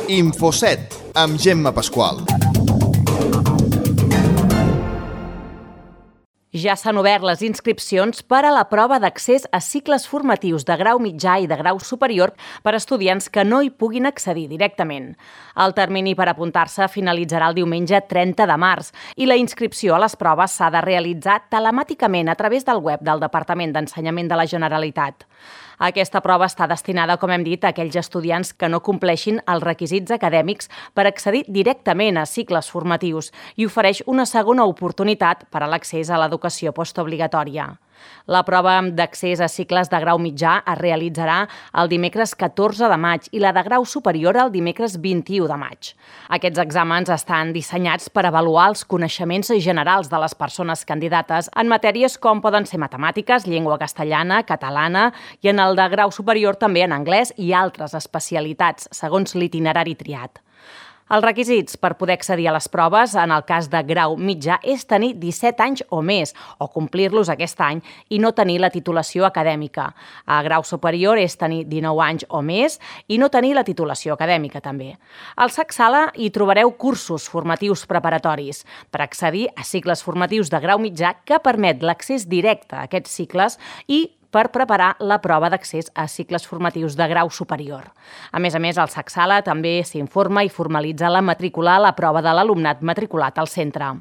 Infoset, amb Gemma Pasqual. Ja s'han obert les inscripcions per a la prova d'accés a cicles formatius de grau mitjà i de grau superior per a estudiants que no hi puguin accedir directament. El termini per apuntar-se finalitzarà el diumenge 30 de març i la inscripció a les proves s'ha de realitzar telemàticament a través del web del Departament d'Ensenyament de la Generalitat. Aquesta prova està destinada, com hem dit, a aquells estudiants que no compleixin els requisits acadèmics per accedir directament a cicles formatius i ofereix una segona oportunitat per a l'accés a l'educació postobligatòria. La prova d'accés a cicles de grau mitjà es realitzarà el dimecres 14 de maig i la de grau superior el dimecres 21 de maig. Aquests exàmens estan dissenyats per avaluar els coneixements generals de les persones candidates en matèries com poden ser matemàtiques, llengua castellana, catalana i en el de grau superior també en anglès i altres especialitats, segons l'itinerari triat. Els requisits per poder accedir a les proves en el cas de grau mitjà és tenir 17 anys o més, o complir-los aquest any, i no tenir la titulació acadèmica. A grau superior és tenir 19 anys o més i no tenir la titulació acadèmica també. Al SAC Sala hi trobareu cursos formatius preparatoris per accedir a cicles formatius de grau mitjà que permet l'accés directe a aquests cicles i per preparar la prova d'accés a cicles formatius de grau superior. A més, el SAC Sala també s'informa i formalitza la matrícula a la prova de l'alumnat matriculat al centre.